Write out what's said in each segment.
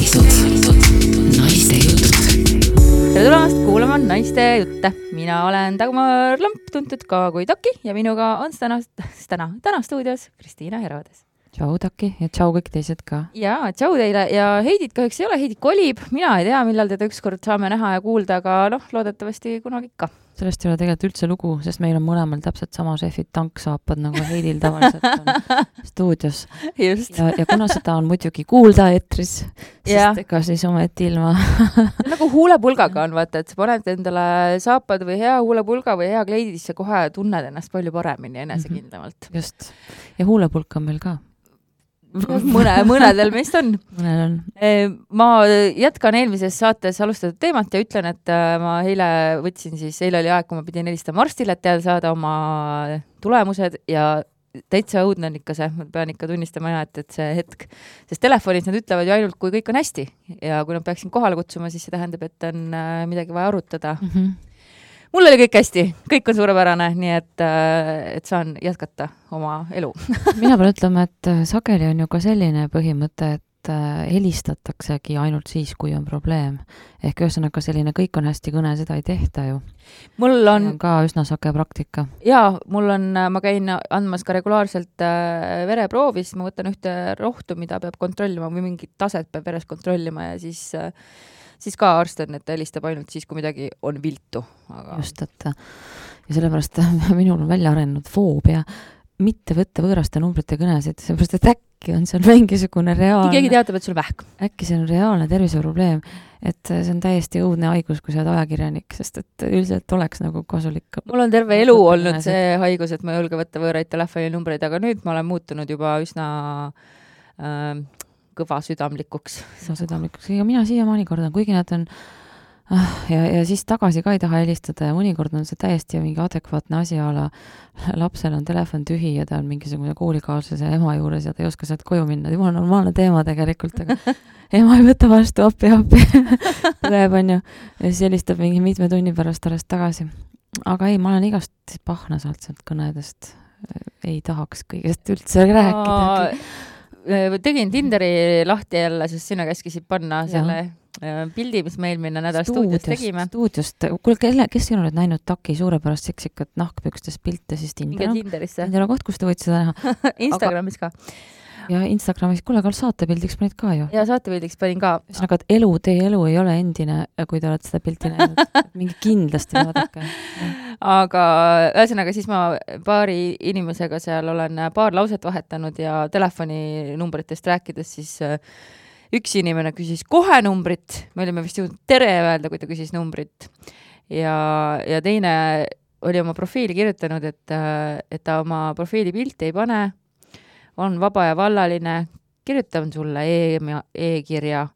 Naiste jutud. Tere tulemast kuulama Naiste jutte. Mina olen Dagmar Lamp, tuntud ka kui Taki ja minuga on täna stuudios Kristiina Hervades. Tšau Taki ja tšau kõik teised ka. Ja tšau teile ja Heidit kahjuks ei ole, Heidit kolib. Mina ei tea, millal teda ükskord saame näha ja kuulda, aga loodetavasti kunagi ikka. Sellest ei ole tegelikult üldse lugu, sest meil on mõlemal täpselt sama šefid tanksaapad nagu Heidil tavaliselt on stuudios. Just. Ja kuna seda on muidugi kuulda etris, sest ega siis ometi ilma. Nagu huulepulgaga on, vaata, et sa paned endale saapad või hea huulepulga või hea kleidi, siis sa kohe tunned ennast palju paremini enesekindlamalt. Just. Ja huulepulk on meil ka. Mõnedel meist on. Mõnel on. Ma jätkan eelmises saates alustatud teemat ja ütlen, et ma eile oli aeg, kui ma pidin helistama arstile, et teada saada oma tulemused ja täitsa õudne on ikka see, ma pean ikka tunnistama et see hetk, sest telefonis nad ütlevad ju ainult, kui kõik on hästi ja kui nad peaksin kohale kutsuma, siis see tähendab, et on midagi vaja arutada. Mul oli kõik hästi, kõik on suurepärane, nii et saan jätkata oma elu. Mina pean ütlema, et sageli on ju ka selline põhimõte, et helistataksegi ainult siis, kui on probleem. Ehk ühesõnaga selline kõik on hästi kõne, seda ei tehta ju. Mul on ka üsna sage praktika. Jaa, ma käin andmas ka regulaarselt vereproovis, ma võtan ühte rohtu, mida peab kontrollima või mingit taset peab veres kontrollima ja siis ka arst on, et helistab ainult siis, kui midagi on viltu. Aga... Just, et ja sellepärast minul on välja arenenud foobia mitte võtta võõraste numbrite kõnesid, sellepärast, et äkki on seal mingisugune reaalne... Keegi teatab, et sul vähk. Äkki see on reaalne terviseprobleem, et see on täiesti õudne haigus, kui sa oled ajakirjanik, sest et üldiselt oleks nagu kasulik. Mul on terve elu olnud see haigus, et ma ei julge võtta võõraid telefoninumbreid, aga nüüd ma olen muutunud juba üsna... kõva südamlikuks. Ja mina siiamaani kordan, kuigi nad on ja siis tagasi ka ei taha helistada ja mõnikord on see täiesti mingi adekvaatne asi ala. Lapsel on telefon tühi ja ta on mingisugune koolikaaslase ema juures ja ta ei oska sealt koju minna. Juba normaalne teema tegelikult, aga ema ei võta vastu appi. Tuleb on ju. Ja siis helistab mingi mitme tunni pärast alles tagasi. Aga ei, ma olen igast pahna sealt kõnedest. Ei tahaks kõigest üldse rääkida. Tegin Tinderi lahti jälle, sest sina käskisid panna selle pildi, mis meil minna nädal stuudios tegime. Stuudiost. Kuule, kes ei ole näinud Taki suurepärast seksikat nahkpükstes pilte, siis Tinderisse. Tindera koht, kus te võid seda näha. Instagramis ka. Ja Instagramis, kuule, aga saatepildiks panid ka ju. Ja saatepildiks panin ka. Ühesõnaga, et teie elu ei ole endine, kui te olete seda pilti näinud. Mingi kindlasti vaadake. Aga ühesõnaga siis ma paari inimesega seal olen paar lauset vahetanud ja telefoninumbritest rääkides siis üks inimene küsis kohe numbrit, me olime vist jõudnud tere öelda, kui ta küsis numbrit ja teine oli oma profiili kirjutanud, et ta oma profiili pilti ei pane, on vaba ja vallaline, kirjutan sulle e-kirja.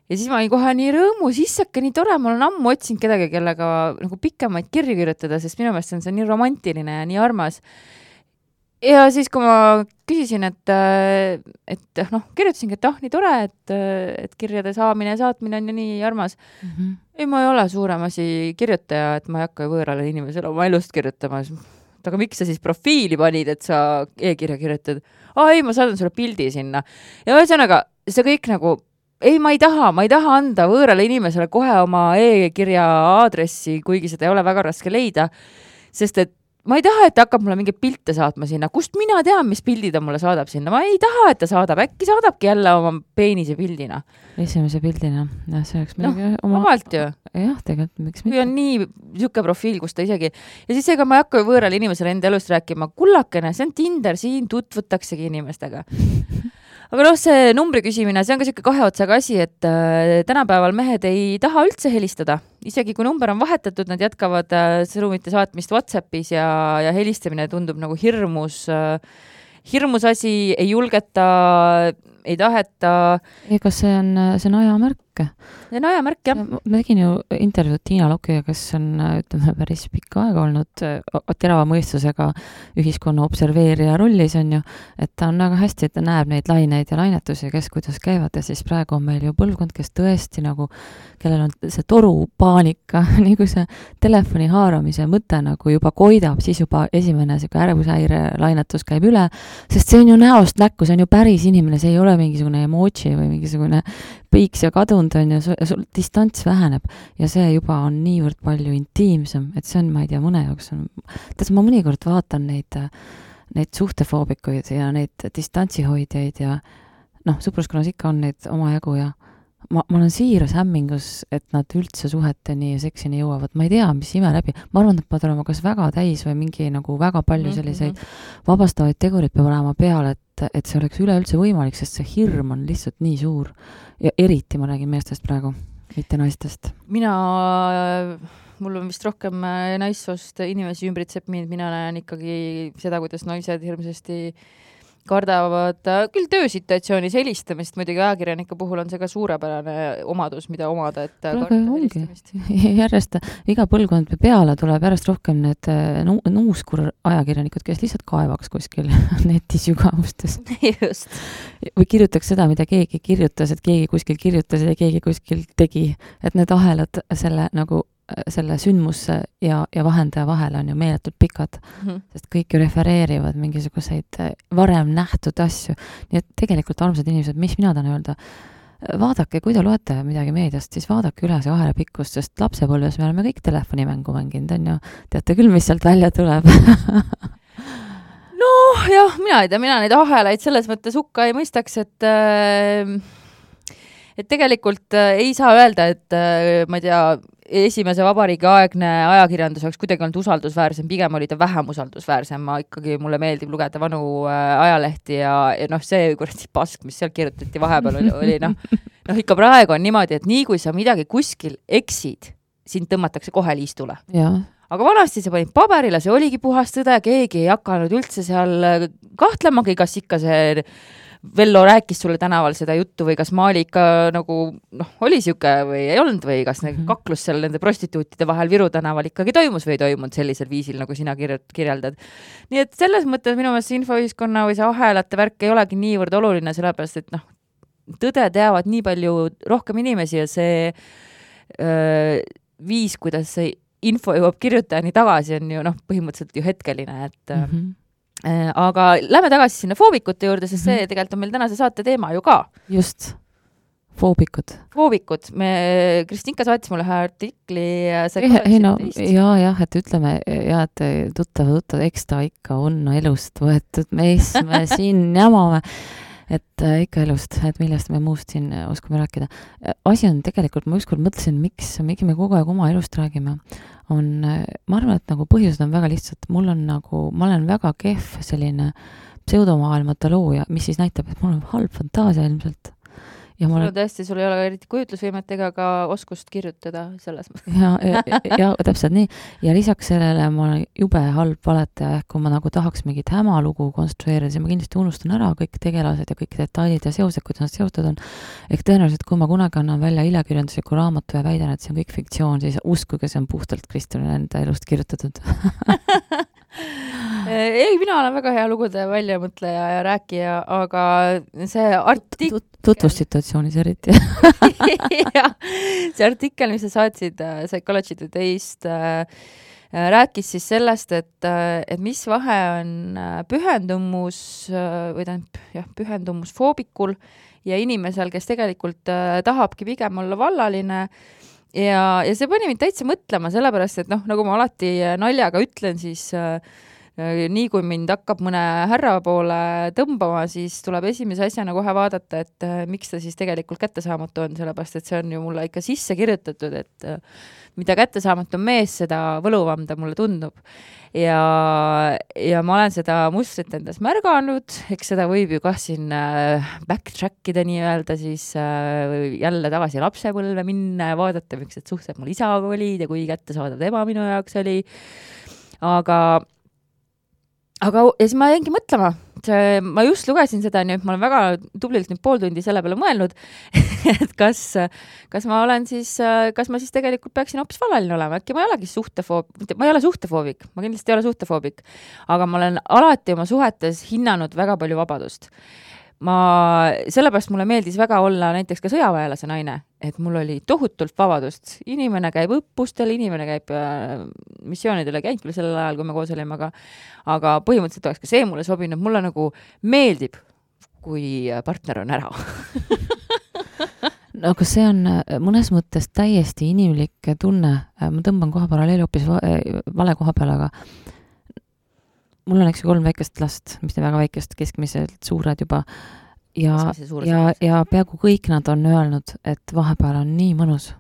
Ja siis ma olin kohe nii rõõmus, issake, nii tore, ma olen ammu otsinud kedagi, kellega nagu pikemaid kirju kirjutada, sest minu meelest on see nii romantiline ja nii armas. Ja siis, kui ma küsisin, et kirjutasingi, et nii tore, et kirjade saamine ja saatmine on ju nii armas. Ei, ma ei ole suurem asi kirjutaja, et ma ei hakka võõrale inimesele oma elust kirjutama. Aga miks sa siis profiili panid, et sa e-kirja kirjutad? Ei, ma saadan sulle pildi sinna. Ja ühesõnaga, see kõik nagu, ma ei taha anda võõrale inimesele kohe oma e-kirja aadressi, kuigi seda ei ole väga raske leida, sest et ma ei taha, et ta hakkab mulle mingeid pilte saatma sinna. Kust mina tean, mis pildid ta mulle saadab sinna? Ma ei taha, et ta saadab. Äkki saadabki jälle oma peenise pildina. Esimese pildina. Ja see oleks omalt ju. Jah, tegelikult miks mitte. Kui on nii siuke profiil, kus ta isegi... Ja siis ega ma ei hakka võõrale inimesele enda elust rääkima. Kullakene, see on Tinder, siin tutvutaksegi inimestega. Aga see numbri küsimine, see on ka siuke kahe otsaga asi, et tänapäeval mehed ei taha üldse helistada. Isegi kui number on vahetatud, nad jätkavad sõnumite saatmist WhatsAppis ja helistamine tundub nagu hirmus asi, ei julgeta, ei taheta. Ega see on ajamärk. See on ajamärk, jah. Ma tegin ju intervjuud Tiina Lokiga, kes on, ütleme, päris pikka aega olnud terava mõistusega ühiskonna observeerija rollis on ju, et ta on väga hästi, et ta näeb neid laineid ja lainetusi, kes kuidas käivad ja siis praegu on meil ju põlvkond, kes tõesti nagu, kellel on see toru paanika, nii kui see telefoni haaramise mõte nagu juba koidab, siis juba esimene ärevusehäire lainetus käib üle, sest see on ju näost näkku, see on ju päris inimene, see ei ole tule mingisugune emoji või mingisugune piiks ja kadunud on ja sul distants väheneb ja see juba on niivõrd palju intiimsem, et see on, ma ei tea, mõne jaoks on, ma mõnikord vaatan neid suhtefoobikuid ja neid distantsihoidjaid ja noh, sõpruskonnas ikka on neid omajagu ja ma olen siiras hämmingus, et nad üldse suheteni ja seksini jõuavad. Ma ei tea, mis ime läbi. Ma arvan, et peavad olema kas väga täis või mingi nagu väga palju selliseid vabastavaid tegurid peab olema peale, et see oleks üleüldse võimalik, sest see hirm on lihtsalt nii suur. Ja eriti ma räägin meestest praegu, mitte naistest. Mul on vist rohkem naissoost inimesi ümbritseb mind, mina näen ikkagi seda, kuidas naised hirmsasti kardavad küll töösituatsioonis helistamist, muidugi ajakirjanike puhul on see ka suurepärane omadus, mida omada, et karta helistamist. Järjest iga põlvkond peale tuleb järjest rohkem need nuuskur ajakirjanikud, kes lihtsalt kaevaks kuskil netis sügavustes. Just. Või kirjutaks seda, mida keegi kirjutas, et keegi kuskil kirjutas ja keegi kuskil tegi. Et need ahelad selle sündmusse ja vahendaja vahel on ju meeletult pikad, sest kõik ju refereerivad mingisuguseid varem nähtud asju. Nii et tegelikult armsad inimesed, mis mina tahan öelda, vaadake, kui te loete midagi meediast, siis vaadake üle see ahela pikkust, sest lapsepõlves me oleme kõik telefonimängu mänginud, on ju. Teate küll, mis sealt välja tuleb. No jah, mina ei tea, mina neid ahelaid selles mõttes hukka ei mõistaks, et tegelikult ei saa öelda, et ma ei tea, esimese vabariigi aegne ajakirjandus oleks kuidagi olnud usaldusväärsem, pigem oli ta vähem usaldusväärsem, mulle meeldib lugeda vanu ajalehti ja see kuradi pask, mis seal kirjutati vahepeal oli ikka praegu on niimoodi, et nii kui sa midagi kuskil eksid, sind tõmmatakse kohe liistule. Aga vanasti see panid paberile, see oligi puhas tõde, keegi ei hakanud üldse seal kahtlemagi, kas ikka see Vello rääkis sulle tänaval seda juttu või kas Maali ikka oli siuke või ei olnud või kas kaklus seal nende prostituutide vahel Viru tänaval ikkagi toimus või ei toimunud sellisel viisil, nagu sina kirjeldad. Nii et selles mõttes minu meelest infoühiskonna või see ahelate värk ei olegi niivõrd oluline, sellepärast et tõde teavad nii palju rohkem inimesi ja see viis, kuidas see info jõuab kirjutajani tagasi, on ju põhimõtteliselt ju hetkeline, et aga lähme tagasi sinna foobikute juurde, sest see tegelikult on meil tänase saate teema ju ka. Just, foobikud. Me, Kristinka saatis mulle ühe artikli. Et ütleme, et tuttav, eks ta ikka on elust võetud, me siin jamame. Et ikka elust, et millest me muust siin oskame rääkida. Asi on tegelikult, ma ükskord mõtlesin, miks me kogu aeg oma elust räägime, ma arvan, et põhjused on väga lihtsalt. Ma olen väga kehv selline pseudomaailmata looja, mis siis näitab, et mul on halb fantaasia ilmselt. Sul ei ole eriti kujutlusvõimet ega ka oskust kirjutada selles mõttes. Ja täpselt nii. Ja lisaks sellele ma olen jube halb valetaja, ehk kui ma tahaks mingit hämalugu konstrueerida, siis ma kindlasti unustan ära kõik tegelased ja kõik detailid ja seosed, kuidas nad seotud on. Ehk tõenäoliselt, kui ma kunagi annan välja iljakirjandusliku raamatu ja väidan, et see on kõik fiktsioon, siis uskuge, see on puhtalt Kristjanile enda elust kirjutatud. Ei, mina olen väga hea lugude väljamõtleja ja rääkija, aga see tutvussituatsioonis eriti. See artikkel, mis sa saatsid Psychology Today'st, rääkis siis sellest, et mis vahe on pühendumus foobikul ja inimesel, kes tegelikult tahabki pigem olla vallaline. Ja see pani mind täitsa mõtlema, sellepärast, et nagu ma alati naljaga ütlen, siis nii kui mind hakkab mõne härra poole tõmbama, siis tuleb esimese asjana kohe vaadata, et miks ta siis tegelikult kättesaamatu on, sellepärast, et see on ju mulle ikka sisse kirjutatud, et mida kättesaamatu mees, seda võluvam ta mulle tundub. Ja ma olen seda mustrit endas märganud, eks seda võib ju siin backtrackida nii-öelda, siis jälle tagasi lapsepõlve minna ja vaadata, miks need suhted mul isaga olid ja kui kättesaadav tema minu jaoks oli. Aga ja siis ma jäingi mõtlema, ma just lugesin seda, nii et ma olen väga tublilt nüüd pool tundi selle peale mõelnud, et kas ma siis tegelikult peaksin hoopis vallaline olema, äkki ma ei olegi ma ei ole suhtefoobik, ma kindlasti ei ole suhtefoobik, aga ma olen alati oma suhetes hinnanud väga palju vabadust. Sellepärast mulle meeldis väga olla näiteks ka sõjaväelase naine, et mul oli tohutult vabadust. Inimene käib õppustel, inimene käib missioonidele, käinud küll sellel ajal, kui me koos olime, aga põhimõtteliselt oleks ka see mulle sobinud. Mulle meeldib, kui partner on ära. No aga see on mõnes mõttes täiesti inimlik tunne. Ma tõmban kohe paralleeli hoopis vale koha peale, aga mul on 3 väikest last, mis väga väikest, keskmiselt suured juba. Ja peaaegu kõik nad on öelnud, et vahepeal on nii mõnus,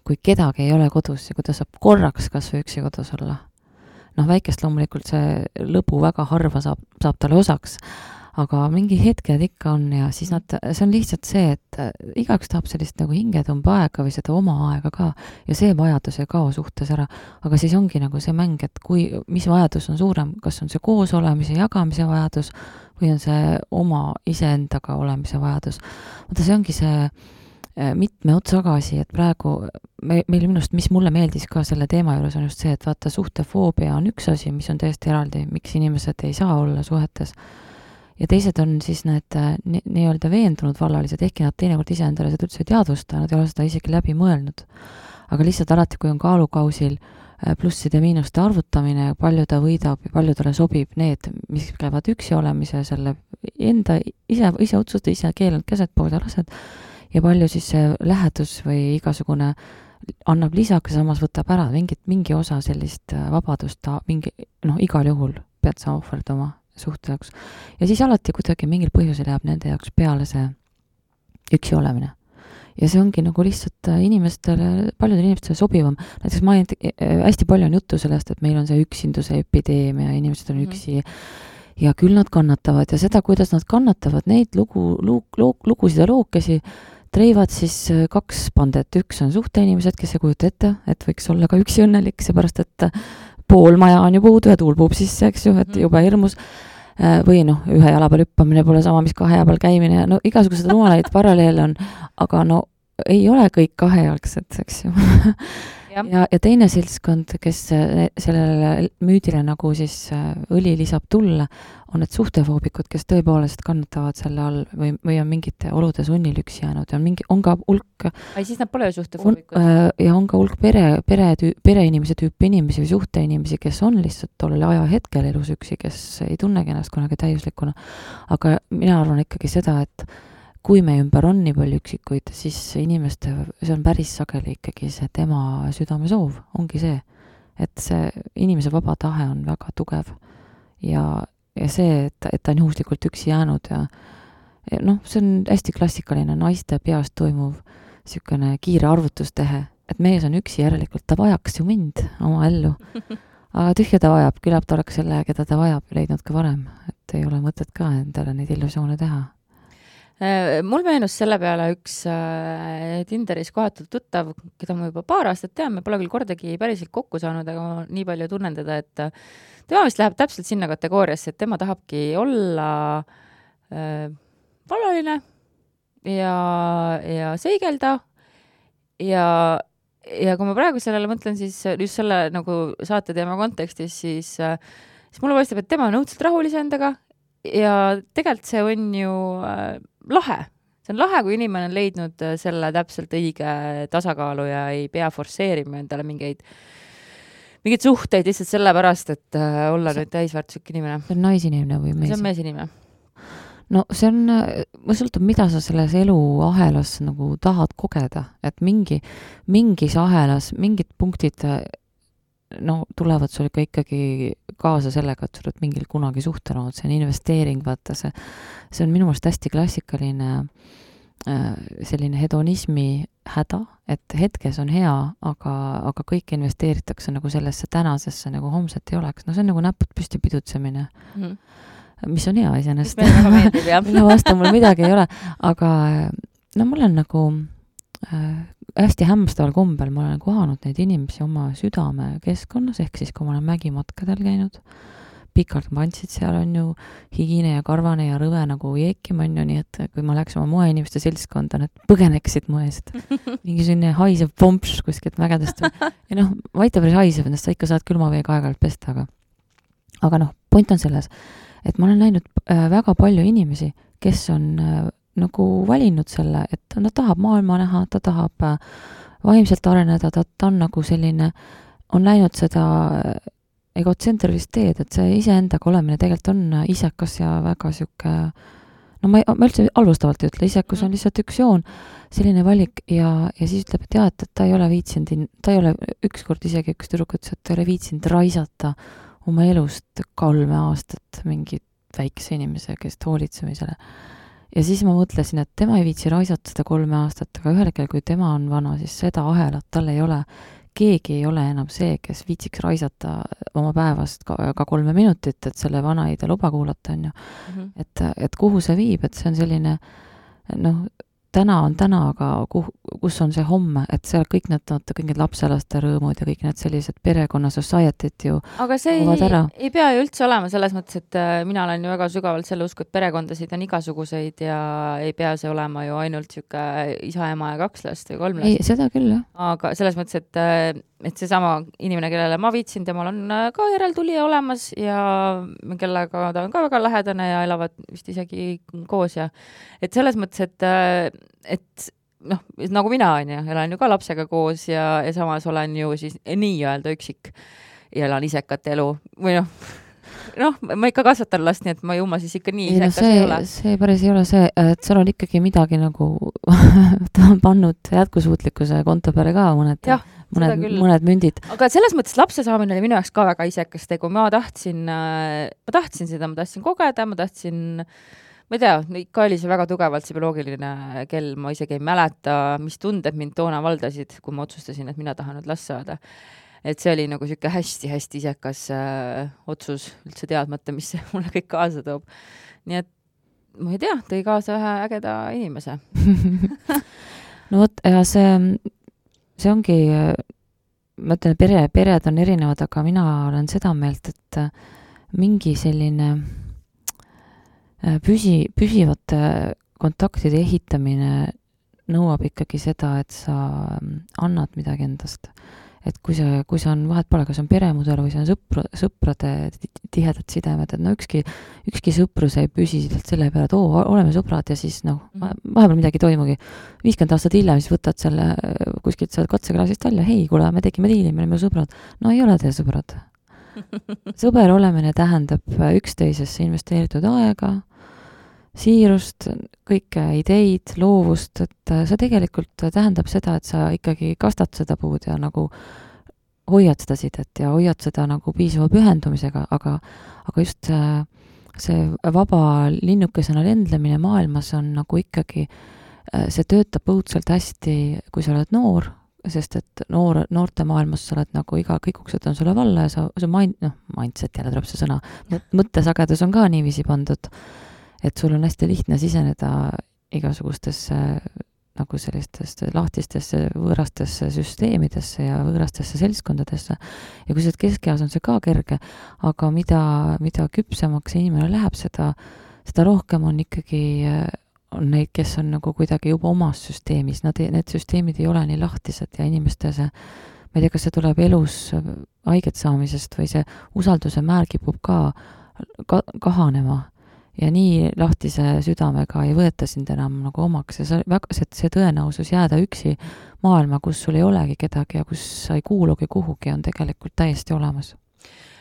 kui kedagi ei ole kodus ja kui ta saab korraks kas või üksi kodus olla. Väikest loomulikult see lõbu väga harva saab talle osaks, aga mingi hetked ikka on ja siis see on lihtsalt see, et igaüks tahab sellist nagu hingetumba aega või seda oma aega ka ja see vajadus ei kao suhtes ära, aga siis ongi nagu see mäng, et mis vajadus on suurem, kas on see koos olemise, jagamise vajadus või on see oma iseendaga olemise vajadus. Vaata, see ongi see mitme otsagasi, et praegu meil minust, mis mulle meeldis ka selle teema juures on just see, et vaata, suhtefoobia on üks asi, mis on täiesti eraldi, miks inimesed ei saa olla suhetes. Ja teised on siis need nii-öelda veendunud vallalised, ehkki nad teinekord ise endale seda üldse ei teadvusta, nad ei ole seda isegi läbi mõelnud. Aga lihtsalt alati, kui on kaalukausil plusside ja miinuste arvutamine, palju ta võidab ja palju talle sobib need, mis käivad üksi olemise, selle enda ise otsuste, ise keeled, käsed, pood ja lased, ja palju siis see lähedus või igasugune annab lisaks, samas võtab ära mingi osa sellist vabadust, igal juhul pead sa ohverdama suhte jaoks. Ja siis alati kuidagi mingil põhjusel jääb nende jaoks peale see üksi olemine. Ja see ongi nagu lihtsalt paljudele inimestele sobivam. Näiteks hästi palju on juttu sellest, et meil on see üksinduse epideemia, inimesed on üksi ja küll nad kannatavad ja seda, kuidas nad kannatavad, neid lugusid ja lookesi treivad siis 2 pandet. Üks on suhteinimesed, kes ei kujuta ette, et võiks olla ka üksi õnnelik, seepärast, et pool maja on ju puudu ja tuul puhub sisse, eks ju, et juba hirmus. Või ühe jala peal hüppamine pole sama, mis 2 jala peal käimine. Igasugused rumalaid paralleele on, aga ei ole kõik 2-jalgsed, eks ju. Ja teine seltskond, kes sellele müüdile nagu siis õli lisab tulla, on need suhtefoobikud, kes tõepoolest kannatavad selle all või on mingite olude sunnil üksi jäänud ja on ka hulk siis nad pole suhtefoobikud. Ja on ka hulk pereinimese tüüpi inimesi või suhteinimesi, kes on lihtsalt tollel ajahetkel elus üksi, kes ei tunnegi ennast kunagi täiuslikuna. Aga mina arvan ikkagi seda, et kui me ümber on nii palju üksikuid, siis see on päris sageli ikkagi see tema südame soov, ongi see, et see inimese vaba tahe on väga tugev ja see, et ta on juhuslikult üksi jäänud ja see on hästi klassikaline naiste peast toimuv niisugune kiire arvutustehe, et mees on üksi järelikult, ta vajaks ju mind oma ellu, aga tühja ta vajab, küllap ta oleks selle, keda ta vajab, leidnud ka varem, et ei ole mõtet ka endale neid illusioone teha. Mul meenus selle peale üks Tinderis kohatult tuttav, keda ma juba 2 aastat tean, me pole küll kordagi päriselt kokku saanud, aga ma nii palju tunnen teda, et tema vist läheb täpselt sinna kategooriasse, et tema tahabki olla vallaline ja seigelda ja kui ma praegu sellele mõtlen, siis just selle nagu saate teema kontekstis, siis mulle paistab, et tema on õudselt rahulise endaga ja tegelikult see on ju lahe. See on lahe, kui inimene on leidnud selle täpselt õige tasakaalu ja ei pea forsseerima endale mingeid suhteid lihtsalt sellepärast, et olla nüüd täisväärtuslik inimene. See on naisinimene või mees? See on meesinimene. See on, sõltub, mida sa selles eluahelas nagu tahad kogeda, et mingis ahelas, mingid punktid tulevad sul ikkagi kaasa sellega, et sul oled mingil kunagi suhtel olnud, see on investeering, vaata see on minu meelest hästi klassikaline selline hedonismi häda, et hetkes on hea, aga kõik investeeritakse nagu sellesse tänasesse, nagu homset ei oleks. See on nagu näpud püsti pidutsemine, mis on hea iseenesest. Mis meile väga meeldib, jah. Mille vastu mul midagi ei ole, aga mul on nagu hästi hämmastaval kombel ma olen kohanud neid inimesi oma südame keskkonnas, ehk siis kui ma olen mägimatkadel käinud, pikalt pantsid, seal on ju higine ja karvane ja rõve nagu jeekim on ju, nii et kui ma läks oma moeinimeste seltskonda, need põgeneksid mu eest. Mingi selline haisev pomps kuskilt mägedest. Ja vaita päris haisev, ennast sa ikka saad külma veega aeg-ajalt pesta, aga point on selles, et ma olen näinud väga palju inimesi, kes on nagu valinud selle, et ta tahab maailma näha, ta tahab vaimselt areneda, ta on nagu selline, on läinud seda egotsentrilist teed, et see iseendaga olemine tegelikult on isekas ja väga siuke no ma üldse halvustavalt ei ütle, isekus on lihtsalt üks joon, selline valik ja siis ütleb, et jah, et ta ei ole viitsinud, ta ei ole ükskord isegi üks tüdruk ütles, et ta ei ole viitsinud raisata oma elust 3 aastat mingi väikse inimese, kes hoolitsemisele. Ja siis ma mõtlesin, et tema ei viitsi raisata seda 3 aastat, aga ühel hetkel, kui tema on vana, siis seda ahelat tal ei ole. Keegi ei ole enam see, kes viitsiks raisata oma päevast ka 3 minutit, et selle vana ei ta luba kuulata, on ju. Et kuhu see viib, et see on selline, noh, täna on täna, aga kus on see homme, et seal kõik need lapselaste rõõmud ja kõik need sellised perekonna society't ju aga see ei pea ju üldse olema selles mõttes, et mina olen ju väga sügavalt selle usku, et perekondasid on igasuguseid ja ei pea see olema ju ainult siuke isa, ema ja 2 last või 3 last. Ei, seda küll, jah. Aga selles mõttes, et seesama inimene, kellele ma viitsin, temal on ka järeltulija olemas ja kellega ta on ka väga lähedane ja elavad vist isegi koos ja et selles mõttes, et noh, nagu mina on ju, elan ju ka lapsega koos ja samas olen ju siis nii-öelda üksik ja elan isekat elu või noh, ma ikka kasvatan last, nii et ma jumma siis ikka nii isekas ei ole. See päris ei ole see, et seal on ikkagi midagi nagu ta on pannud jätkusuutlikkuse konto peale ka mõned mündid. Aga selles mõttes lapse saamine oli minu jaoks ka väga isekas tegu. Ma tahtsin seda, ma tahtsin kogeda, ma ei tea, ikka oli see väga tugevalt see bioloogiline kell, ma isegi ei mäleta, mis tunded mind toona valdasid, kui ma otsustasin, et mina tahan nüüd last saada. Et see oli nagu siuke hästi-hästi isekas otsus, üldse teadmata, mis see mulle kõik kaasa toob. Nii et ma ei tea, tõi kaasa ühe ägeda inimese. No vot, ja see ongi, ma ütlen, pered on erinevad, aga mina olen seda meelt, et mingi selline püsivate kontaktide ehitamine nõuab ikkagi seda, et sa annad midagi endast. Et kui see on, vahet pole, kas on peremudel või see on sõprade tihedad sidemed, et no ükski sõprus ei püsi selle peale, et oleme sõbrad ja siis vahepeal midagi toimugi. 50 aastat hiljem siis võtad selle kuskilt seal katseklaasist välja, hei, kuule, me tegime diili, me oleme sõbrad. No ei ole te sõbrad. Sõber olemine tähendab üksteisesse investeeritud aega, siirust, kõike ideid, loovust, et see tegelikult tähendab seda, et sa ikkagi kastad seda puud ja nagu hoiad seda sidet ja hoiad seda nagu piisava pühendumisega, aga just see vaba linnukesena lendlemine maailmas on nagu ikkagi, see töötab õudselt hästi, kui sa oled noor, sest et noorte maailmas sa oled nagu kõik uksed on sulle valla ja sa mindset jälle tuleb see sõna, mõttesagedus on ka niiviisi pandud, et sul on hästi lihtne siseneda igasugustesse nagu sellistesse lahtistesse võõrastesse süsteemidesse ja võõrastesse seltskondadesse. Ja kui sa keskeas on see ka kerge, aga mida küpsemaks inimene läheb, seda rohkem on ikkagi on neid, kes on nagu kuidagi juba omas süsteemis. Need süsteemid ei ole nii lahtised ja inimeste ma ei tea, kas see tuleb elus haiget saamisest või see usalduse määr kipub ka kahanema. Ja nii lahtise südamega ei võeta sind enam nagu omaks ja see tõenäosus jääda üksi maailma, kus sul ei olegi kedagi ja kus sa ei kuulugi kuhugi, on tegelikult täiesti olemas.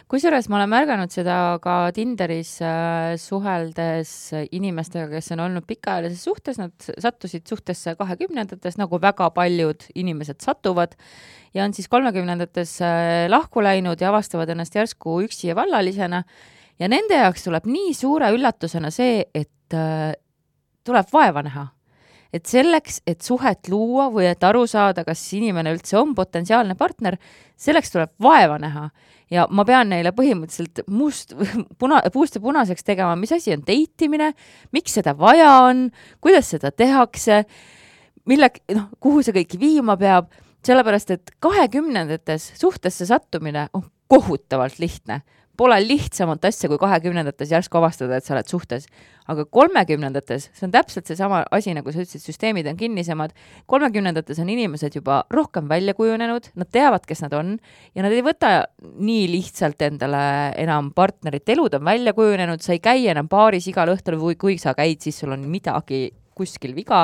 Kusjuures ma olen märganud seda ka Tinderis suheldes inimestega, kes on olnud pikaajalises suhtes, nad sattusid suhtesse 20-ndates, nagu väga paljud inimesed satuvad ja on siis 30-ndates lahku läinud ja avastavad ennast järsku üksi ja vallalisena. Ja nende jaoks tuleb nii suure üllatusena see, et tuleb vaeva näha. Et selleks, et suhet luua või et aru saada, kas inimene üldse on potentsiaalne partner, selleks tuleb vaeva näha. Ja ma pean neile põhimõtteliselt puust ja punaseks tegema, mis asi on deitimine, miks seda vaja on, kuidas seda tehakse, kuhu see kõik viima peab, sellepärast, et 20-ndates suhtesse sattumine on kohutavalt lihtne. Pole lihtsamat asja kui 20-ndates järsku avastada, et sa oled suhtes. Aga 30-ndates, see on täpselt see sama asi, nagu sa ütlesid, süsteemid on kinnisemad. 30-ndates on inimesed juba rohkem välja kujunenud, nad teavad, kes nad on ja nad ei võta nii lihtsalt endale enam partnerit. Elud on välja kujunenud, sa ei käi enam baaris igal õhtul või kui sa käid, siis sul on midagi kuskil viga.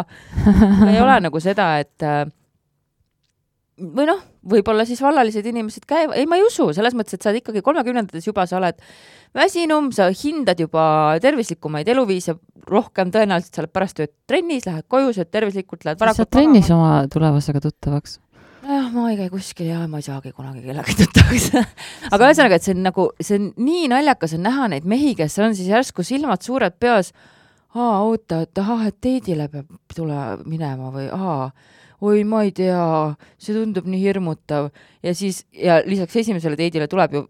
Ei ole nagu seda, et või noh, võib-olla siis vallalised inimesed käivad, ei ma ei usu, selles mõttes, et sa oled ikkagi 30-ndates juba, sa oled väsinum, sa hindad juba tervislikumaid eluviise rohkem, tõenäoliselt sa oled pärast tööd trennis, lähed koju, sööd tervislikult, lähed varakult sa trennis oma tulevasega tuttavaks? Ma ei käi kuskil ja ma ei saagi kunagi kellega tuttavaks. Aga ühesõnaga, et see on nagu, see on nii naljakas on näha neid mehi, kes on siis järsku silmad suured peas, oota, et teidile peab tule minema või oi, ma ei tea, see tundub nii hirmutav. Ja siis, ja lisaks esimesele teidile tuleb ju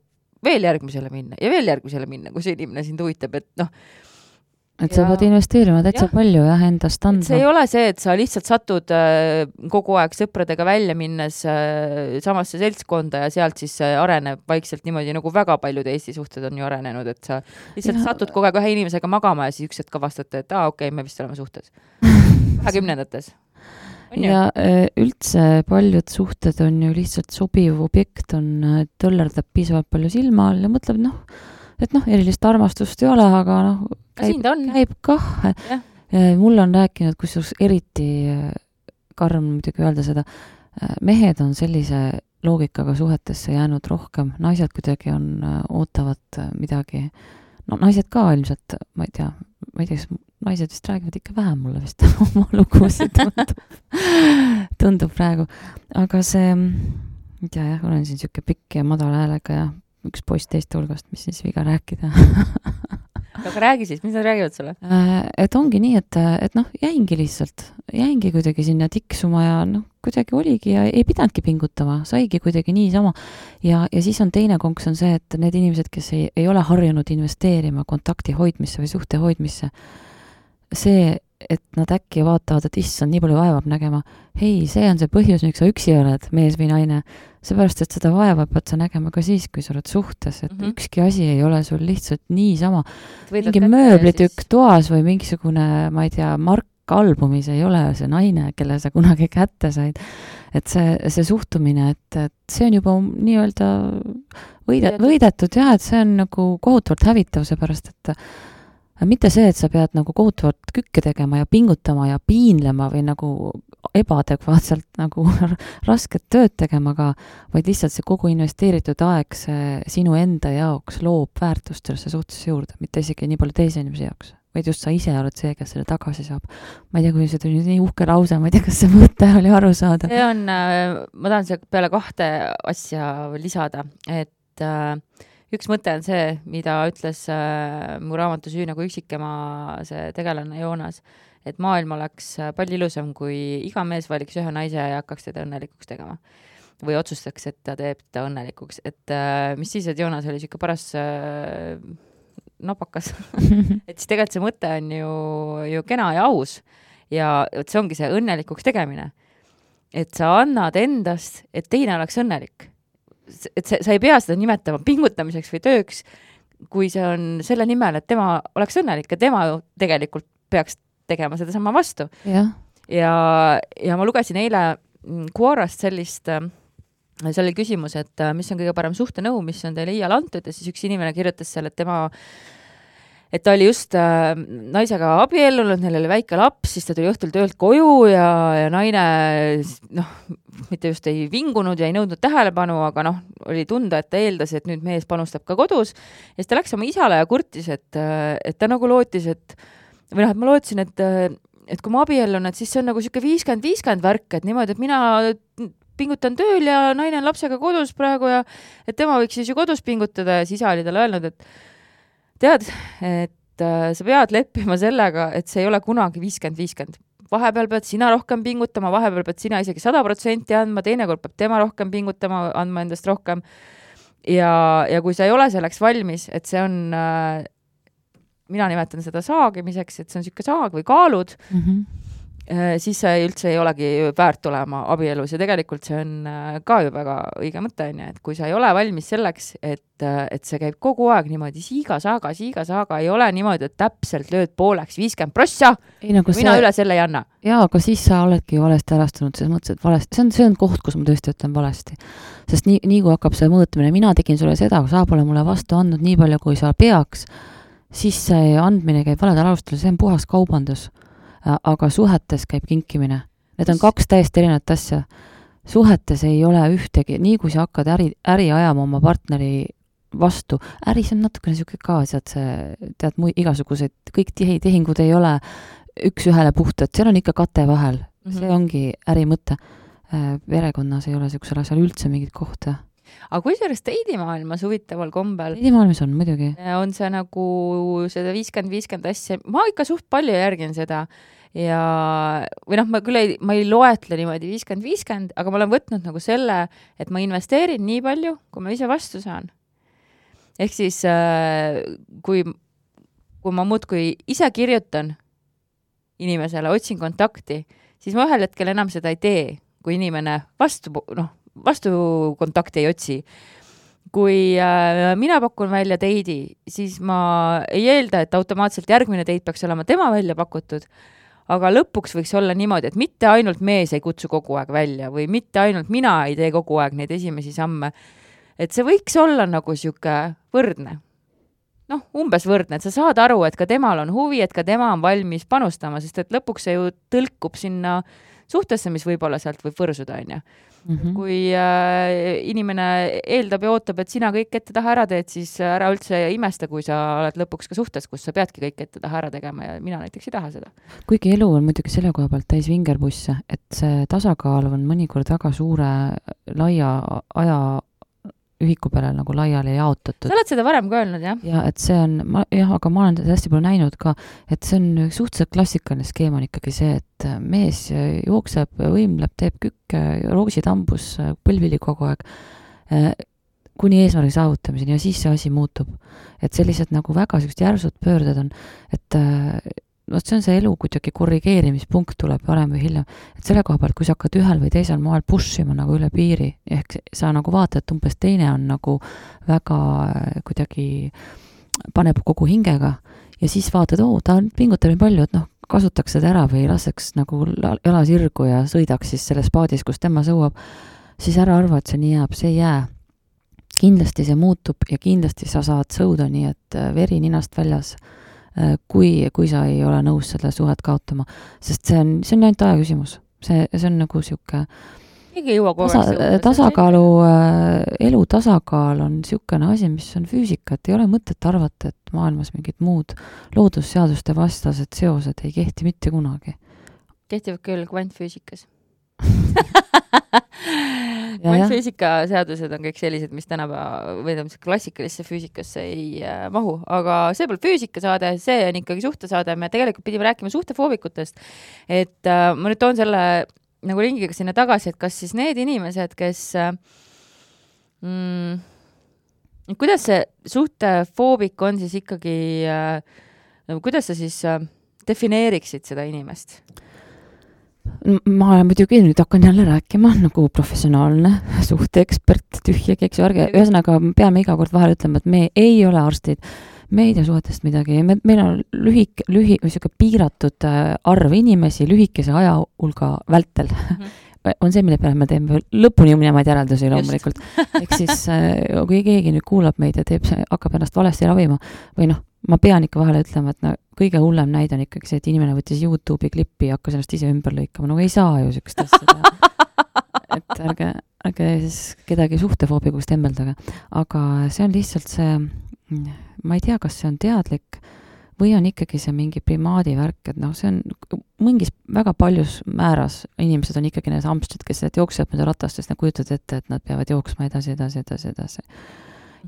veel järgmisele minna ja veel järgmisele minna, kui see inimene sind huvitab, et noh. Et sa pead investeerima täitsa palju endast andma. See ei ole see, et sa lihtsalt satud kogu aeg sõpradega välja minnes samasse seltskonda ja sealt siis areneb vaikselt niimoodi, nagu väga paljud Eesti suhted on ju arenenud, et sa lihtsalt satud kogu aeg ühe inimesega magama ja siis üks hetk avastate, et okei, me vist oleme suhtes. 20-ndates. Ja üldse paljud suhted on ju lihtsalt sobiv objekt, tõllerdab piisavalt palju silma all ja mõtleb, erilist armastust ei ole, aga käib kah. Mul on rääkinud, kusjuures eriti karm muidugi öelda seda, mehed on sellise loogikaga suhetesse jäänud rohkem, naised kuidagi ootavad midagi, naised ka ilmselt, ma ei tea, kas naised vist räägivad ikka vähem mulle vist oma lugusid tundub praegu, aga see, ei tea jah, olen siin siuke pikk ja madala häälega ja üks poiss teiste hulgast, mis siis viga rääkida. Aga räägi siis, mis nad räägivad sulle? Et ongi nii, et jäingi kuidagi sinna tiksuma ja kuidagi oligi ja ei pidanudki pingutama, saigi kuidagi niisama. Ja siis on teine konks on see, et need inimesed, kes ei ole harjunud investeerima kontakti hoidmisse või suhte hoidmisse, see, et nad äkki vaatavad, et issand, nii palju vaevab nägema. Hei, see on see põhjus, miks sa üksi oled, mees või naine. Seepärast, et seda vaeva pead sa nägema ka siis, kui sa oled suhtes, et ükski asi ei ole sul lihtsalt niisama. Mingi mööblitükk toas või mingisugune, ma ei tea, mark albumis ei ole see naine, kelle sa kunagi kätte said. Et see suhtumine, et see on juba nii-öelda võidetud ja, et see on nagu kohutavalt hävitav, seepärast, et mitte see, et sa pead nagu kohutavalt kükke tegema ja pingutama ja piinlema või nagu ebaadekvaatselt nagu rasket tööd tegema, vaid lihtsalt see kogu investeeritud aeg see sinu enda jaoks loob väärtust sellesse suhtesse juurde, mitte isegi nii palju teise inimese jaoks, vaid just sa ise oled see, kes selle tagasi saab. Ma ei tea, kui see tuli nii uhke lause, ma ei tea, kas see mõte oli aru saada. See on, ma tahan see peale 2 asja lisada, et üks mõte on see, mida ütles mu raamatu Süü nagu üksikema see tegelane Joonas, et maailm oleks palju ilusam, kui iga mees valiks ühe naise ja hakkaks teda õnnelikuks tegema. Või otsustaks, et ta teeb ta õnnelikuks. Et mis siis, et Joonas oli siuke paras napakas. Et siis tegelikult see mõte on ju kena ja aus. Ja see ongi see õnnelikuks tegemine. Et sa annad endast, et teine oleks õnnelik. Et sa ei pea seda nimetama pingutamiseks või tööks, kui see on selle nimel, et tema oleks õnnelik ja tema tegelikult peaks tegema seda sama vastu. Ja ma lugesin eile Quorast sellist, see oli küsimus, et mis on kõige parem suhtenõu, mis on teile iial antud ja siis üks inimene kirjutas seal, et ta oli just naisega abiellunud, neil oli väike laps, siis ta tuli õhtul töölt koju ja naine mitte just ei vingunud ja ei nõudnud tähelepanu, aga oli tunda, et ta eeldas, et nüüd mees panustab ka kodus. Ja siis ta läks oma isale ja kurtis, et ta nagu lootis, et ma lootsin, et kui ma abiellun, et siis see on nagu siuke 50-50 värk, et niimoodi, et mina pingutan tööl ja naine on lapsega kodus praegu ja et tema võiks siis ju kodus pingutada ja siis isa oli talle öelnud, et tead, et sa pead leppima sellega, et see ei ole kunagi 50-50. Vahepeal pead sina rohkem pingutama, vahepeal pead sina isegi 100% andma, teinekord peab tema rohkem pingutama, andma endast rohkem. Ja kui sa ei ole selleks valmis, et see on, mina nimetan seda saagimiseks, et see on siuke saag või kaalud, siis see üldse ei olegi väärt olema abielus ja tegelikult see on ka ju väga õige mõte, et kui sa ei ole valmis selleks, et see käib kogu aeg niimoodi siiga-saaga, ei ole niimoodi, et täpselt lööd pooleks 50%, mina üle selle ei anna. Jaa, aga siis sa oledki valesti ärastunud, selles mõttes, et valesti, see on koht, kus ma tõesti ütlen valesti. Sest nii kui hakkab see mõõtmine, mina tegin sulle seda, kui sa pole mulle vastu andnud nii palju, kui sa peaks, siis see andmine käib valedel alustel, see on puhas kaubandus. Aga suhetes käib kinkimine. Need on 2 täiesti erinevat asja. suhetes ei ole ühtegi, nii kui sa hakkad äri ajama oma partneri vastu, äris on natukene siuke ka, tead igasuguseid, kõik tehingud ei ole üks-ühele puhtad, seal on ikka kate vahel, see ongi äri mõte. Perekonnas ei ole siuksel asjal üldse mingit kohta. Aga kusjuures teidimaailmas huvitaval kombel teidimaailmas on muidugi. On see nagu seda 50-50 asja, ma ikka suht palju järgin seda ja, või noh, ma ei loetle niimoodi 50-50, aga ma olen võtnud nagu selle, et ma investeerin nii palju, kui ma ise vastu saan. Ehk siis, kui ma muudkui ise kirjutan inimesele, otsin kontakti, siis ma ühel hetkel enam seda ei tee, kui inimene vastu kontakti ei otsi. Kui mina pakun välja teidi, siis ma ei eelda, et automaatselt järgmine teid peaks olema tema välja pakutud, aga lõpuks võiks olla niimoodi, et mitte ainult mees ei kutsu kogu aeg välja või mitte ainult mina ei tee kogu aeg neid esimesi samme. Et see võiks olla nagu siuke võrdne. Umbes võrdne, et sa saad aru, et ka temal on huvi, et ka tema on valmis panustama, sest et lõpuks see ju tõlkub sinna suhtesse, mis võib-olla sealt võib võrsuda, on ju. Kui inimene eeldab ja ootab, et sina kõik ette taha ära teed, siis ära üldse imesta, kui sa oled lõpuks ka suhtes, kus sa peadki kõik ette taha ära tegema ja mina näiteks ei taha seda. Kuigi elu on muidugi selle koha pealt täis vingerbusse, et see tasakaal on mõnikord väga suure laia aja ühiku peale nagu laiali jaotatud. Sa oled seda varem ka öelnud, jah? Ja, et see on, aga ma olen hästi palju näinud ka, et see on suhteliselt klassikaline skeem on ikkagi see, et mees jookseb, võimleb, teeb kükke, roositambus, põlvili kogu aeg, kuni eesmärgi saavutamiseni ja siis see asi muutub. Et sellised nagu väga sellised järsud pöörded on, et see on see elu kuidagi korrigeerimispunkt tuleb varem või hiljem. Et selle koha pealt, kui sa hakkad ühel või teisel moel pushima nagu üle piiri, ehk sa nagu vaatad, et umbes teine on nagu väga kuidagi paneb kogu hingega ja siis vaatad, ta pingutab nii palju, et kasutaks seda ära või laseks nagu jala sirgu ja sõidaks siis selles paadis, kus tema sõuab, siis ära arva, et see nii jääb, see ei jää. Kindlasti see muutub ja kindlasti sa saad sõuda nii, et veri ninast väljas, kui sa ei ole nõus selle suhet kaotama, sest see on ainult aja küsimus. See on nagu siuke tasakaalu, elu tasakaal on siukene asi, mis on füüsika, et ei ole mõtet arvata, et maailmas mingid muud loodusseaduste vastased seosed ei kehti mitte kunagi. Kehtivad küll kvantfüüsikas. Kvantfüüsika seadused on kõik sellised, mis tänapäeva või klassikalisse füüsikasse ei mahu, aga see pole füüsikasaade, see on ikkagi suhtesaade, me tegelikult pidime rääkima suhtefoobikutest, et ma nüüd toon selle nagu ringiga sinna tagasi, et kas siis need inimesed, kes kuidas see suhtefoobik on siis ikkagi kuidas sa siis defineeriksid seda inimest? Ma olen muidugi nüüd hakkan jälle rääkima nagu professionaalne suhteekspert, tühjagi, eks ju, ühesõnaga peame iga kord vahel ütlema, et me ei ole arstid, me ei tea suhetest midagi, meil on lühike piiratud arv inimesi lühikese aja hulga vältel. On see, mille peale me teeme lõpuni minemaid järeldusi loomulikult. Ehk siis, kui keegi nüüd kuulab meid ja hakkab ennast valesti ravima või ma pean ikka vahele ütlema, et kõige hullem näide on ikkagi see, et inimene võttis YouTube'i klippi ja hakkas ennast ise ümber lõikama. Ei saa ju sükest asja teha. Et ärge siis kedagi suhtefoobikust tembeldage. Aga see on lihtsalt see, ma ei tea, kas see on teadlik või on ikkagi see mingi primaadi värk, et see on mingis väga paljus määras inimesed on ikkagi need hamstrid, kes jooksevad mööda ratastest, nad kujutavad ette, et nad peavad jooksma edasi.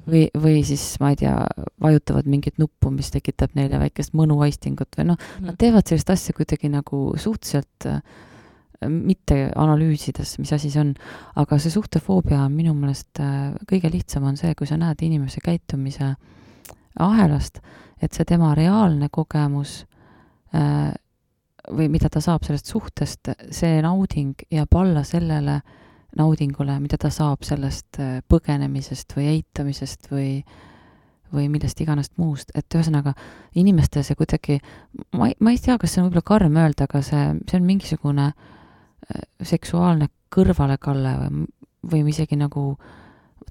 Või siis, ma ei tea, vajutavad mingit nuppu, mis tekitab neile väikest mõnuaistingut või nad teevad sellist asja kuidagi nagu suhteliselt mitte analüüsides, mis asi see on, aga see suhtefoobia on minu meelest kõige lihtsam on see, kui sa näed inimese käitumise ahelast, et see tema reaalne kogemus või mida ta saab sellest suhtest, see nauding jääb alla sellele naudingule, mida ta saab sellest põgenemisest või eitamisest või millest iganest muust. Et ühesõnaga, inimeste see kuidagi, ma ei tea, kas see on võib-olla karm öelda, aga see on mingisugune seksuaalne kõrvalekalle või isegi nagu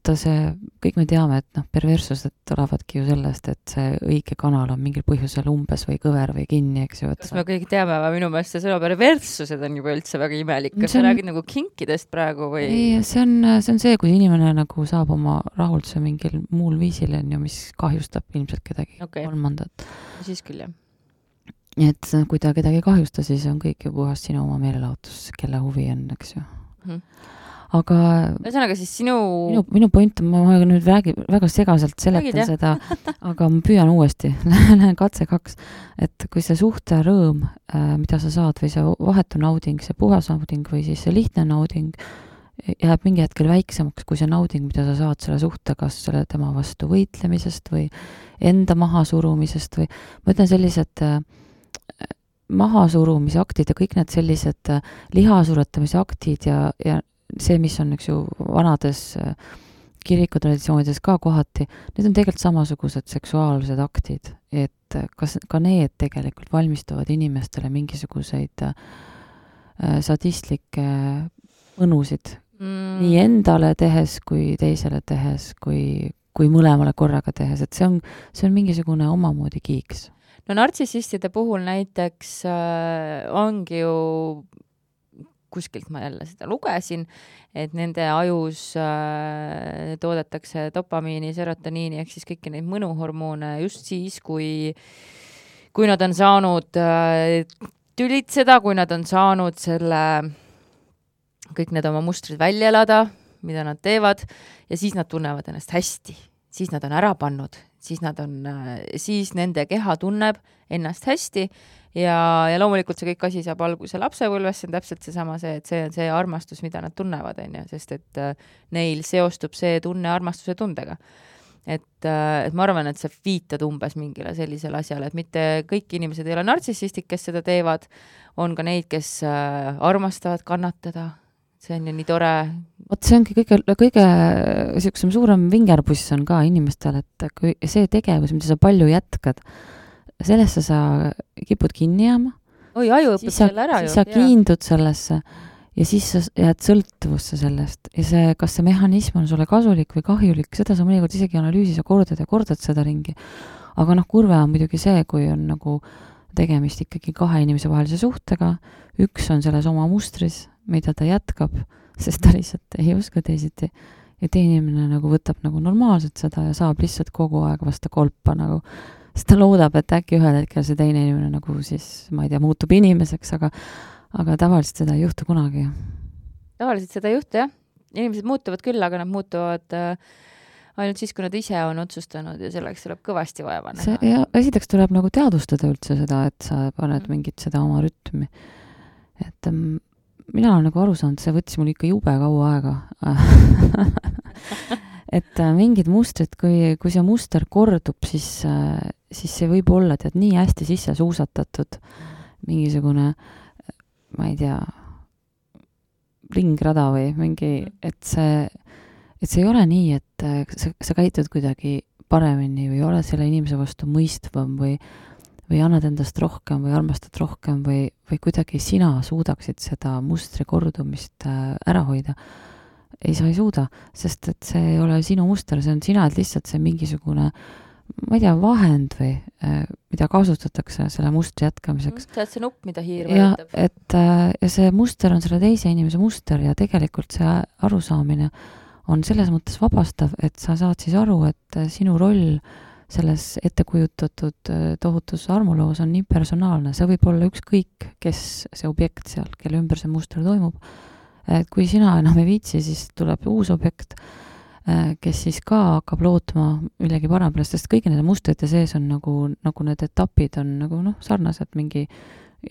vaata see, kõik me teame, et perverssused tulevadki ju sellest, et see õige kanal on mingil põhjusel umbes või kõver või kinni, eks ju. Kas me kõik teame, aga minu meelest see sõna perverssused on juba üldse väga imelik. Kas sa räägid nagu kinkidest praegu või? Ei, see on see, kui inimene nagu saab oma rahulduse mingil muul viisil, mis kahjustab ilmselt kedagi kolmandat. Siis küll, jah. Et kui ta kedagi kahjusta, siis on kõik ju puhas sinu oma meelelaotus, kelle huvi on, eks ju. Aga ühesõnaga siis minu point on, ma nüüd väga segaselt seletan seda, aga ma püüan uuesti, lähen katse 2, et kui see suhte rõõm, mida sa saad, või see vahetu nauding, see puhas nauding või siis see lihtne nauding, jääb mingi hetkel väiksemaks kui see nauding, mida sa saad selle suhte, kas selle tema vastu võitlemisest või enda mahasurumisest või ma ütlen sellised mahasurumise aktid ja kõik need sellised lihasuretamise aktid ja see, mis on, eks ju, vanades kirikutraditsioonides ka kohati, need on tegelikult samasugused seksuaalsed aktid, et kas ka need tegelikult valmistavad inimestele mingisuguseid sadistlikke mõnusid nii endale tehes kui teisele tehes, kui mõlemale korraga tehes, et see on mingisugune omamoodi kiiks. No nartsissistide puhul näiteks ongi ju kuskilt ma jälle seda lugesin, et nende ajus toodetakse dopamiini, serotoniini ehk siis kõiki neid mõnuhormoone just siis, kui nad on saanud tülitseda, kui nad on saanud kõik need oma mustrid välja elada, mida nad teevad, ja siis nad tunnevad ennast hästi. Siis nad on ära pannud, siis nende keha tunneb ennast hästi ja loomulikult see kõik asi saab alguse lapsepõlves, see on täpselt seesama et see on see armastus, mida nad tunnevad, sest et neil seostub see tunne armastuse tundega. Et ma arvan, et sa viitad umbes mingile sellisele asjale, et mitte kõik inimesed ei ole nartsissistid, kes seda teevad, on ka neid, kes armastavad kannatada. See on ju nii tore. See ongi kõige sellisem suurem vingerpuss on ka inimestel, et kui see tegevus, mida sa palju jätkad, sellesse sa kipud kinni jääma. Oi, aju õpib selle ära ju. Siis sa kiindud sellesse ja siis sa jääd sõltuvusse sellest. Ja see, kas see mehhanism on sulle kasulik või kahjulik, seda sa mõnikord isegi analüüsis ja kordad seda ringi. Aga kurve on muidugi see, kui on nagu tegemist ikkagi kahe inimese vahelise suhtega, üks on selles oma mustris, mida ta jätkab, sest ta lihtsalt ei oska teisiti. Ja teine inimene nagu võtab nagu normaalselt seda ja saab lihtsalt kogu aeg vasta kolpa nagu. Sest ta loodab, et äkki ühel hetkel see teine inimene nagu siis, ma ei tea, muutub inimeseks, aga tavaliselt seda ei juhtu kunagi. Tavaliselt seda ei juhtu, jah. Inimesed muutuvad küll, aga nad muutuvad ainult siis, kui nad ise on otsustanud ja selleks tuleb kõvasti vaeva näha. Ja esiteks tuleb nagu teadvustada üldse seda, et sa paned mingit seda oma rütmi. Et mina olen nagu aru saanud, see võttis mul ikka jube kaua aega. Et mingid mustrid, kui see muster kordub, siis see võib olla, tead, nii hästi sisse suusatatud mingisugune, ma ei tea, ringrada või mingi, et see ei ole nii, et sa käitud kuidagi paremini või oled selle inimese vastu mõistvam või annad endast rohkem või armastad rohkem või kuidagi sina suudaksid seda mustri kordumist ära hoida. Ei, sa ei suuda, sest et see ei ole sinu muster, see on sina, et lihtsalt see mingisugune, ma ei tea, vahend või mida kasutatakse selle mustri jätkamiseks. See on see nupp, mida hiir vajutab. Ja see muster on selle teise inimese muster ja tegelikult see arusaamine on selles mõttes vabastav, et sa saad siis aru, et sinu roll selles ettekujutatud tohutus armuloos on nii personaalne. See võib olla ükskõik, kes see objekt seal, kelle ümber see muster toimub. Et kui sina enam ei viitsi, siis tuleb uus objekt, kes siis ka hakkab lootma millegi parempärast, sest kõigi nende mustrite sees on nagu need etapid on nagu sarnased mingi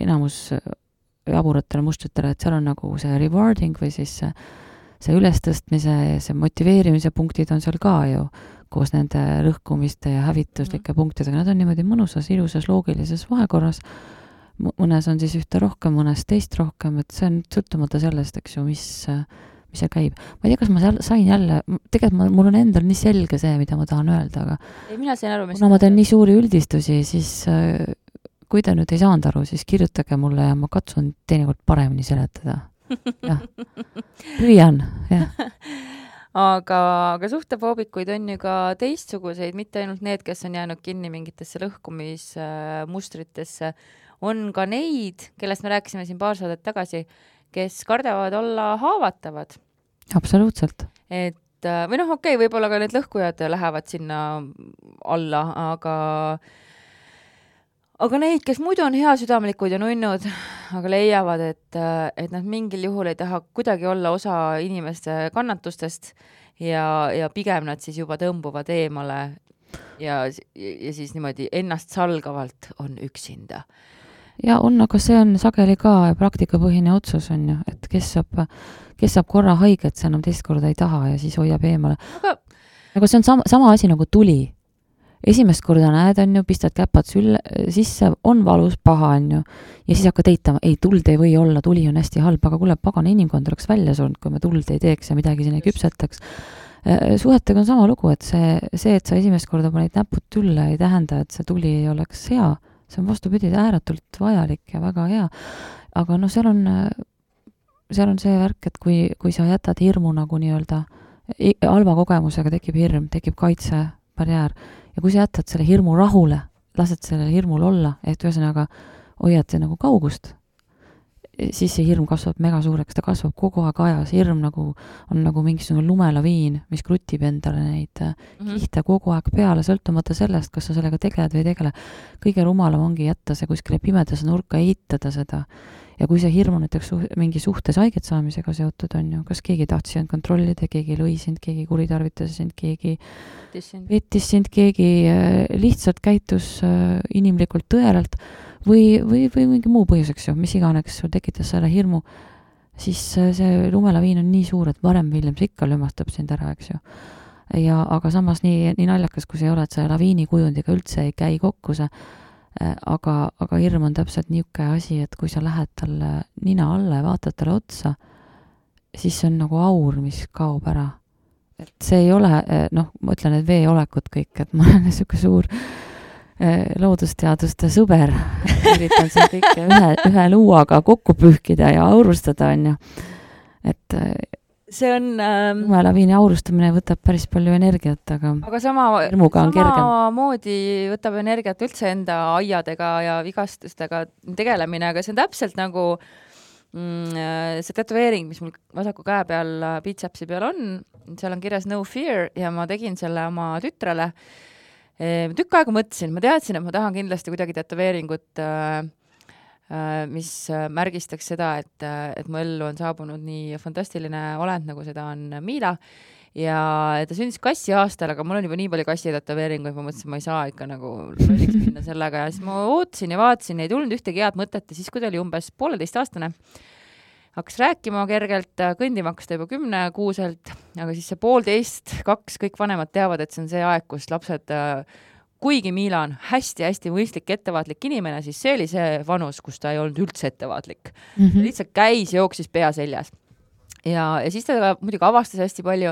enamus jaburatele mustritele, et seal on nagu see rewarding või siis see ülestõstmise ja see motiveerimise punktid on seal ka ju koos nende rõhkumiste ja hävituslike punktidega. Nad on niimoodi mõnusas, ilusas, loogilises vahekorras. Mõnes on siis ühte rohkem, mõnes teist rohkem, et see on sõltumata sellest, eks ju, mis seal käib. Ma ei tea, kas ma sain jälle, tegelikult mul on endal nii selge see, mida ma tahan öelda, aga ei, mina sain aru, kuna ma teen nii suuri üldistusi, siis kui te nüüd ei saanud aru, siis kirjutage mulle ja ma katsun teinekord paremini seletada. Jah. Püüan, jah. aga suhtefoobikuid on ju ka teistsuguseid, mitte ainult need, kes on jäänud kinni mingitesse lõhkumismustritesse, on ka neid, kellest me rääkisime siin paar saadet tagasi, kes kardavad olla haavatavad. Absoluutselt. Et või noh, okei, võib-olla ka need lõhkujad lähevad sinna alla, aga neid, kes muidu on heasüdamlikud ja nunnud, aga leiavad, et nad mingil juhul ei taha kuidagi olla osa inimeste kannatustest ja pigem nad siis juba tõmbuvad eemale ja siis niimoodi ennast salgavalt on üksinda. Ja on, aga see on sageli ka praktikapõhine otsus on ju, et kes saab korra haiget, see enam teist korda ei taha ja siis hoiab eemale. Aga see on sama asi nagu tuli. Esimest korda näed, on ju, pistad käpad sisse, on valus, paha, on ju, ja siis hakkad eitama, ei, tuld ei või olla, tuli on hästi halb, aga kuule, pagana inimkond oleks välja surnud, kui me tuld ei teeks ja midagi siin ei küpsetaks. Suhetega on sama lugu, et see, et sa esimest korda panid näpud tülle, ei tähenda, et see tuli ei oleks hea. See on vastupidi ääretult vajalik ja väga hea. Aga no seal on see värk, et kui sa jätad hirmu nagu nii-öelda, halva kogemusega tekib hirm, tekib kaitsebarjäär, ja kui sa jätad selle hirmu rahule, lased sellel hirmul olla, et ühesõnaga hoiad see nagu kaugust, siis see hirm kasvab mega suureks, ta kasvab kogu aeg ajas, hirm nagu on nagu mingisugune lumelaviin, mis krutib endale neid kihte kogu aeg peale, sõltumata sellest, kas sa sellega tegeled või ei tegele. Kõige rumalam ongi jätta see kuskile pimedasse nurka, eitada seda. Ja kui see hirm on näiteks mingi suhtes haiget saamisega seotud on ju, kas keegi tahtis sind kontrollida, keegi lõi sind, keegi kuritarvitas sind, keegi vettis sind, keegi lihtsalt käitus inimlikult tõelalt või mingi muu põhjuseks ju, mis iganes sul tekitas selle hirmu, siis see lumelaviin on nii suur, et varem Williams ikka lömastab sind ära, eks ju. Aga samas nii naljakas, kui see ei ole, et see laviini kujundiga üldse ei käi kokku see, aga hirm on täpselt niisugune asi, et kui sa lähed talle nina alla ja vaatad talle otsa, siis see on nagu aur, mis kaob ära. Et see ei ole, noh, ma ütlen, et veeolekut kõik, et ma olen niisugune suur loodusteaduste sõber. Üritan siin kõike ühe luuaga kokku pühkida ja aurustada, on ju. Et see on lumelaviini aurustamine võtab päris palju energiat, aga samamoodi võtab energiat üldse enda aiadega ja vigastustega tegelemine, aga see on täpselt nagu see tätoveering, mis mul vasaku käe peal biitsepsi peal on, seal on kirjas no fear ja ma tegin selle oma tütrele. Tükk aega mõtlesin, ma teadsin, et ma tahan kindlasti kuidagi tätoveeringut, mis märgistaks seda, et mu ellu on saabunud nii fantastiline olend, nagu seda on Miila. Ja ta sündis kassi aastal, aga mul on juba nii palju kassi tätoveeringuid, ma mõtlesin, ma ei saa ikka nagu lolliks minna sellega. Ja siis ma ootasin ja vaatasin, ei tulnud ühtegi head mõtet ja siis, kui ta oli umbes 1,5-aastane, hakkas rääkima kergelt, kõndima hakkas ta juba 10-kuuselt, aga siis see 1,5-2, kõik vanemad teavad, et see on see aeg, kus lapsed, kuigi Miila on hästi-hästi mõistlik, ettevaatlik inimene, siis see oli see vanus, kus ta ei olnud üldse ettevaatlik. Lihtsalt käis, jooksis pea seljas. Ja siis ta muidugi avastas hästi palju.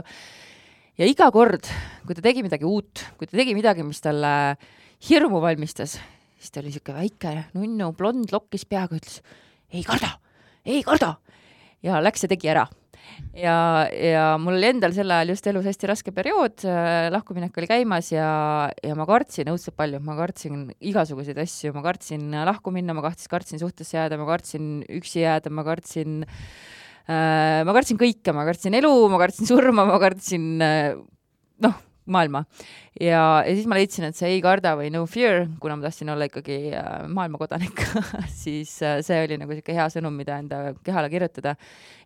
Ja iga kord, kui ta tegi midagi uut, kui ta tegi midagi, mis talle hirmu valmistas, siis ta oli siuke väike nunnu, blond lokkis peaga, ütles, ei karda. Ja läks ja tegi ära. Ja mul oli endal sel ajal just elus hästi raske periood, lahkuminek oli käimas ja ma kartsin õudselt palju, ma kartsin igasuguseid asju, ma kartsin lahku minna, ma kartsin suhtesse jääda, ma kartsin üksi jääda, ma kartsin kõike, ma kartsin elu, ma kartsin surma, ma kartsin maailma. Ja siis ma leidsin, et see ei karda või no fear, kuna ma tahtsin olla ikkagi maailmakodanik, siis see oli nagu siuke hea sõnum, mida enda kehale kirjutada.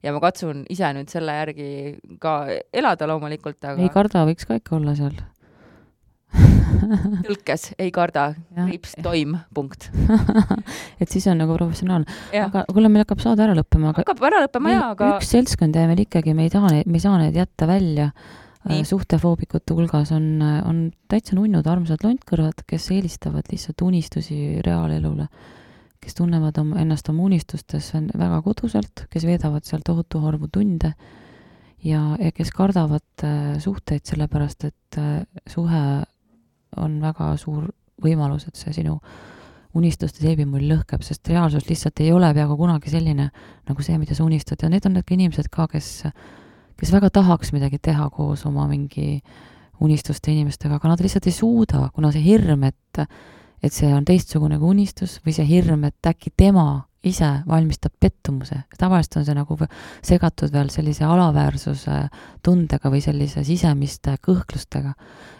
Ja ma katsun ise nüüd selle järgi ka elada loomulikult. Aga ei karda võiks ka ikka olla seal. Tõlkes, ei karda, kriips, toim, punkt. Et siis on nagu professionaalne. Aga kuule, meil hakkab saada ära lõppema. Hakkab ära lõppema, aga üks seltskond ja meil ikkagi, me ei saa need jätta välja. Suhtefoobikute hulgas on täitsa nunnud armsad lontkõrvad, kes eelistavad lihtsalt unistusi reaalelule, kes tunnevad ennast oma unistustes väga koduselt, kes veedavad seal tohutu arvu tunde ja kes kardavad suhteid sellepärast, et suhe on väga suur võimalus, et see sinu unistuste seebimull lõhkeb, sest reaalsus lihtsalt ei ole peaaegu kunagi selline nagu see, mida sa unistad ja need on need inimesed ka, kes kes väga tahaks midagi teha koos oma mingi unistuste inimestega, aga nad lihtsalt ei suuda, kuna see hirm, et see on teistsugune kui unistus või see hirm, et äkki tema ise valmistab pettumuse. Tavaliselt on see nagu segatud veel sellise alaväärsuse tundega või sellise sisemiste kõhklustega.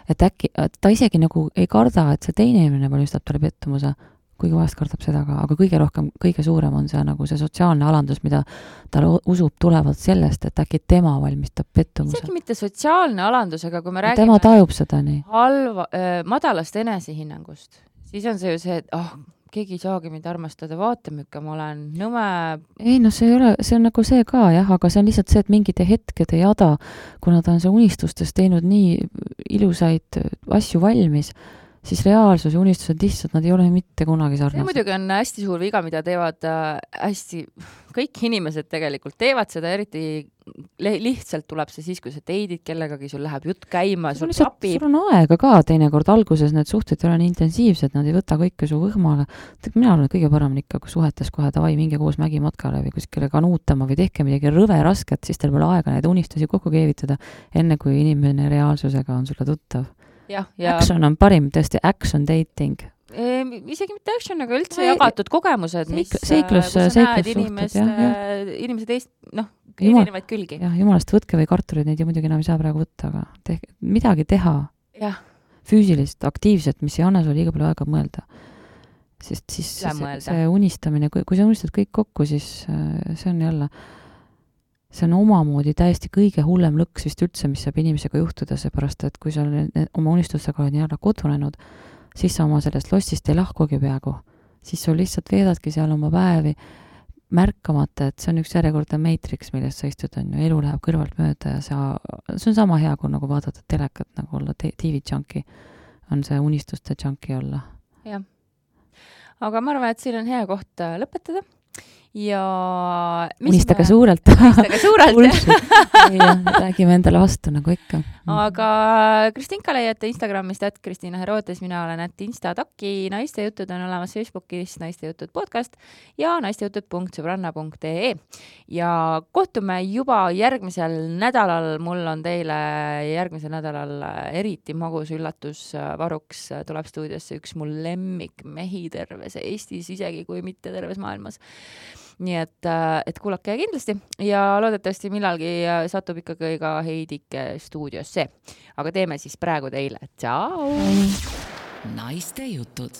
Et äkki ta isegi nagu ei karda, et see teine inimene valmistab talle pettumuse, kuigi vahest kardab seda ka, aga kõige rohkem, kõige suurem on see nagu see sotsiaalne alandus, mida ta usub tulevalt sellest, et äkki tema valmistab pettumuse. Isegi mitte sotsiaalne alandus, aga kui me räägime tema tajub seda nii. Madalast enesehinnangust, siis on see ju see, et keegi ei saagi mind armastada, vaatamükka, ma olen nõme. Ei, no see on nagu see ka, jah, aga see on lihtsalt see, et mingid hetked ei jada, kuna ta on see unistustes teinud nii ilusaid asju valmis, siis reaalsus ja unistused lihtsalt, nad ei ole mitte kunagi sarnased. See muidugi on hästi suur viga, mida teevad kõik inimesed tegelikult teevad seda, eriti lihtsalt tuleb see siis, kui sa teidid kellegagi, sul läheb jutt käima, sul tapib. Sul on aega ka teinekord alguses, need suhted ei ole nii intensiivsed, nad ei võta kõike su võhmale. Mina olen kõige parem ikka, kui suhetes kohe davai, minge koos mägimatkale või kuskile kanuutama või tehke midagi rõve rasket, siis teil pole aega neid unistusi kokku keevitada, enne kui inimene reaalsusega on sulle tuttav. Ja. Action on parim, tõesti action dating. Isegi mitte action, aga üldse jagatud kogemused, mis seiklus näed inimesed erinevaid külgi. Jah, jumalast võtke või karturid, neid ju muidugi enam ei saa praegu võtta, aga midagi teha. Ja. Füüsilist, aktiivset, mis ei anna sulle liiga palju aega mõelda. Sest siis see unistamine, kui sa unistad kõik kokku, siis see on jälle see on omamoodi täiesti kõige hullem lõks vist üldse, mis saab inimesega juhtuda, seepärast, et kui sa oma unistustega oled nii ära kodunenud, siis sa oma sellest lostist ei lahkugi peaaegu. Siis sul lihtsalt veedadki seal oma päevi märkamata, et see on üks järjekordne Matrix, millest sa istud, on ju, elu läheb kõrvalt mööda ja see on sama hea, kui nagu vaadata telekat, nagu olla TV-junkie, on see unistuste junkie olla. Jah. Aga ma arvan, et siin on hea koht lõpetada. Ja unistage suurelt. Räägime endale vastu nagu ikka. Aga Kristinka leiate Instagramist @Kristina Herotes, mina olen @Instataki, naistejutud on olemas Facebookis naistejutud podcast ja naistejutud.sõbranna.ee ja kohtume juba järgmisel nädalal. Mul on teile järgmisel nädalal eriti magus üllatus varuks. Tuleb stuudiosse üks mul lemmik mehi terves Eestis, isegi kui mitte terves maailmas. Nii et kuulake kindlasti ja loodetavasti millalgi satub ikkagi ka Heidike stuudiosse. Aga teeme siis praegu teile. Tšau! Naiste jutud.